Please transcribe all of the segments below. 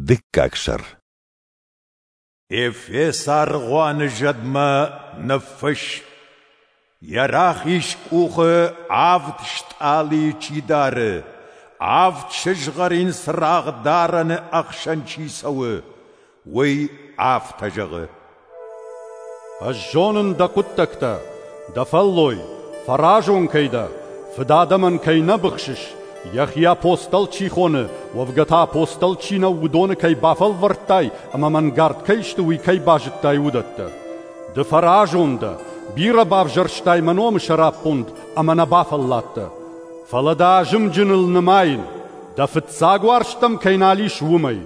Дыккаг сӕр. Ефесы аргъуаны зӕдмӕ ныффысс: Йӕ рахиз къухы авд стъалыйы чи дары, авд сызгъӕрин цырагъдарӕны ӕхсӕн чи цӕуы, уый афтӕ зӕгъы: Ӕз зонын дӕ хъуыддӕгтӕ, дӕ фӕллой, фӕразон кӕй дӕ, фыдадӕмӕн кӕй нӕ быхсыс, йӕхи апостол чи хоны, уӕвгӕ та апостол чи нӕу, уыдоны кӕй бафӕлвӕрдтай ӕмӕ мӕнгард кӕй сты, уый кӕй базыдтай, уыдӕттӕ. Ды фӕразон дӕ, бирӕ бавзӕрстай мӕ номы сӕраппонд ӕмӕ нӕ бафӕлладтӕ. Фӕлӕ дӕ азымджыныл нымайын, дӕ фыццаг уарзт дӕм кӕй нал ис, уымӕй.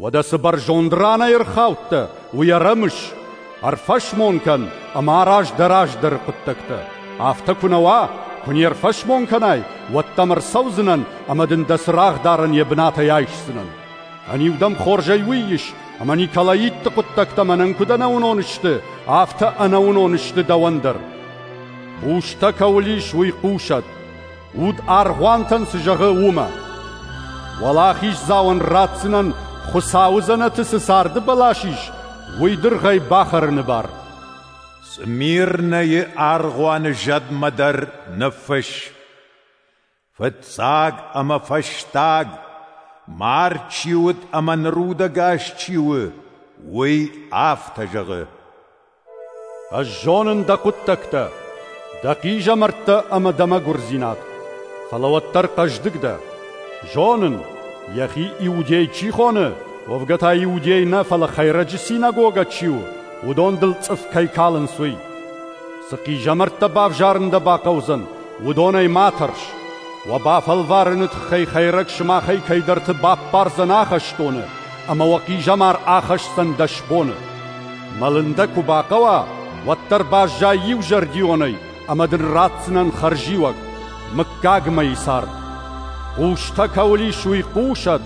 Уӕдӕ цы бӕрзонд ранӕй ӕрхаудтӕ, уый ӕрӕмыс, ӕрфӕсмон кӕн ӕмӕ араз дӕ раздӕры хъуыддӕгтӕ. Афтӕ куы нӕ уа, куы не рфӕсмон кӕнай, уӕд дӕм ӕрцӕудзынӕн ӕмӕ дын дӕ цырагъдарӕн йӕ бынатӕй айсдзынӕн. Ӕниу дӕм хорзӕй уый ис, ӕмӕ Николаитты хъуыддӕгтӕ мӕнӕн куыд ӕнӕуынон сты, афтӕ ӕнӕуынон сты дӕуӕн дӕр. Хъустӕ кӕуыл ис, уый хъусӕд. Уд аргъуантӕн цы зӕгъы, уымӕ. Уӕлахиздзауӕн ратдзынӕн, Хуыцауы дзӕнӕты цы царды бӕлас ис, уый дыргъӕй бахӕрыны бар. Смирнӕйы аргъуаны зӕдмӕ дӕр ныффысс: Фыццаг ӕмӕ фӕстаг, мард чи уыд ӕмӕ ныр удӕгас чи у, уый афтӕ зӕгъы: Ӕз зонын дӕ хъуыддӕгтӕ, дӕ хъизӕмӕрттӕ ӕмӕ дӕ мӕгуырдзинад, фӕлӕ уӕддӕр хъӕздыг дӕ. Зонын, йӕхи иудей чи хоны, уӕвгӕ та иудей нӕ, фӕлӕ хӕйрӕджы синагогӕ чи у, уыдон дыл цъыф кӕй калынц, уый. Цы хъизӕмӕрттӕ бавзарын дӕ бахъӕудзӕн, уыдонӕй ма тӕрс. Уӕ бафӕлварыны тыххӕй хӕйрӕг сымахӕй кӕйдӕрты баппардзӕн ахӕстоны, ӕмӕ уӕ хъизӕмар ахӕсдзӕн 10 боны. Мӕлын дӕ куы бахъӕуа, уӕддӕр баззай иузӕрдионӕй, ӕмӕ дын ратдзынӕн хӕрзиуӕг, мыггагмӕйы цард. Хъустӕ кӕуыл ис, уый хъусӕд,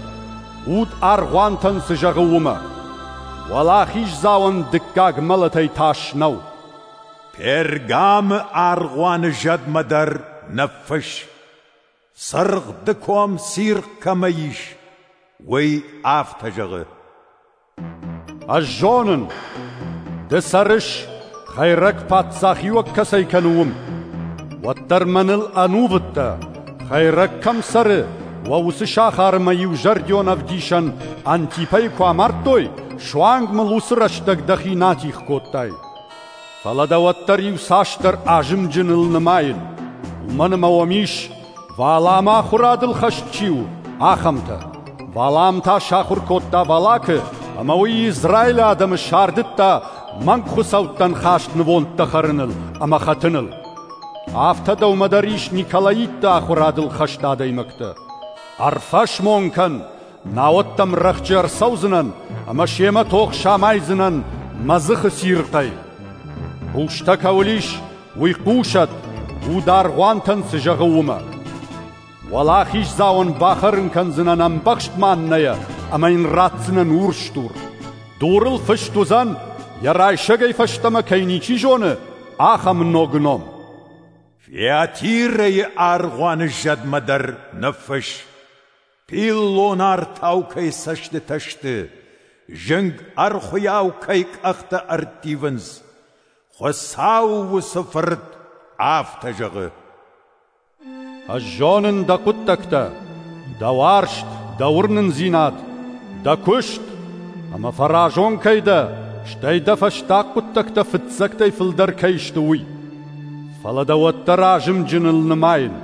уд аргъуантӕн цы зӕгъы, уымӕ. Уӕлахиздзауӕн дыккаг мӕлӕтӕй тас нӕу. Пергамы аргъуаны зӕдмӕ дӕр ныффысс: Цыргъ дыком цирхъ кӕмӕ ис, уый афтӕ зӕгъы: Ӕз зонын, ды цӕрыс, хӕйрӕг паддзахиуӕг кӕцӕй кӕны, уым. Уӕддӕр мӕныл ӕнувыд дӕ, хӕйрӕг кӕм цӕры, уӕ уыцы сахары мӕ иузӕрдион ӕвдисӕн Антипӕйы куы амардтой, суанг мыл уыцы рӕстӕг дӕхи нӕ атигъ кодтай. Фӕлӕ дӕ уӕддӕр иуцасдӕр азымджыныл нымайын, уымӕн ӕмӕ уӕм ис, Валаамы ахуырадыл хӕст чи у, ахӕмтӕ. Валаам та сахуыр кодта Валакы, ӕмӕ уый Израилы адӕмы сардыдта мӕнг хуыцӕуттӕн хаст нывондтӕ хӕрыныл ӕмӕ хӕтыныл. Афтӕ дӕумӕ дӕр ис Николаитты ахуырадыл хӕст адӕймӕгтӕ. Ӕрфӕсмон кӕн, науӕд дӕм рӕхджы ӕрцӕудзынӕн ӕмӕ семӕ тох самайдзынӕн мӕ дзыхы цирхъӕй. Хъустӕ кӕуыл ис, уый хъусӕд, уд аргъуантӕн цы зӕгъы, уымӕ. Уӕлахиздзауӕн бахӕрын кӕндзынӕн ӕмбӕхст маннӕйӕ ӕмӕ йын ратдзынӕн урс дур. Дурыл фыст уыдзӕн, йӕ райсӕгӕй фӕстӕмӕ кӕй ничи зоны, ахӕм ног ном. Фиатирӕйы аргъуаны зӕдмӕ дӕр ныффысс: Пиллон артау кӕй цӕстытӕ сты, зынг ӕрхуыйау кӕй къӕхтӕ ӕрттивынц, Хуыцауы уыцы Фырт афтӕ зӕгъы: Ӕз зонын дӕ хъуыддӕгтӕ, дӕ уарзт, дӕ уырнындзинад, дӕ куыст, ӕмӕ фӕразон кӕй дӕ, стӕй дӕ фӕстаг хъуыддӕгтӕ фыццӕгтӕй фылдӕр кӕй сты, уый. Фӕлӕ дӕ уӕддӕр азымджыныл нымайын.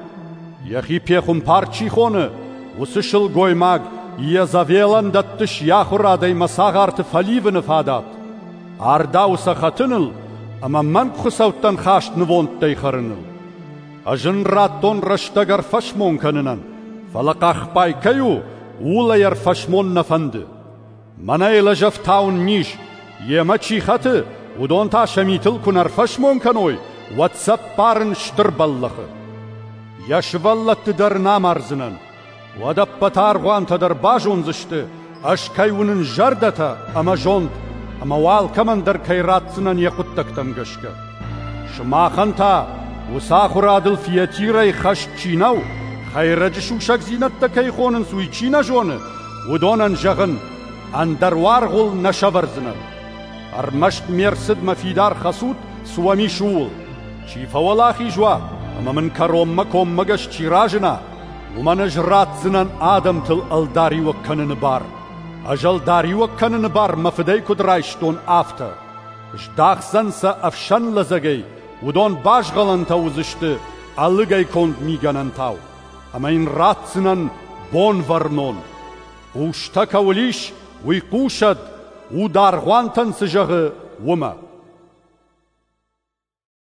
Йӕхи пехуымпар чи хоны, уыцы сылгоймаг Иезавелӕн дӕттыс йӕ ахуырадӕй мӕ цагъарты фӕливыны фадат. Ардауы сӕ хӕтыныл ӕмӕ мӕнг хуыцӕуттӕн хаст нывондтӕй хӕрыныл. Ӕз ын радтон рӕстӕг ӕрфӕсмон кӕнынӕн, фӕлӕ хъахбай кӕй у, ууыл ӕй ӕрфӕсмон нӕ фӕнды. Мӕнӕй лӕзӕфтауын низ, йемӕ чи хӕты, уыдон та сӕ митыл куы нӕ рфӕсмон кӕной, уӕд сӕ ппарын стыр бӕллӕхы. Йӕ сывӕллӕтты дӕр ын амардзынӕн. Уӕд ӕппӕт аргъуантӕ дӕр базондзысты, ӕз кӕй уынын зӕрдӕтӕ ӕмӕ зонд, ӕмӕ уӕ алкӕмӕн дӕр кӕй ратдзынӕн йӕ хъуыддӕгтӕм гӕсгӕ. Сымахӕн та, уыцы ахуырадыл Фиатирӕй хӕст чи нӕу, хӕйрӕджы сусӕгдзинӕдтӕ кӕй хонынц, уый чи нӕ зоны, уыдонӕн зӕгъын: Ӕндӕр уаргъ уыл нӕ сӕвӕрдзынӕн. Ӕрмӕст ме рцыдмӕ фидар хӕцут, цы уӕм ис, ууыл. Чи фӕуӕлахиз уа ӕмӕ мын кӕронмӕ коммӕгӕс чи разына, уымӕн ӕз ратдзынӕн адӕмтыл ӕлдариуӕг кӕныны бар. Ӕз ӕлдариуӕг кӕныны бар мӕ Фыдӕй куыд райстон, афтӕ. Здахдзӕн сӕ ӕфсӕн лӕдзӕгӕй, уыдон базгъӕлӕнтӕ уыдзысты ӕлыгӕй конд мигӕнӕнтау. Ӕмӕ йын ратдзынӕн Бонвӕрнон. Хъустӕ кӕуыл ис, уый хъусӕд, уд аргъуантӕн цы зӕгъы, уымӕ.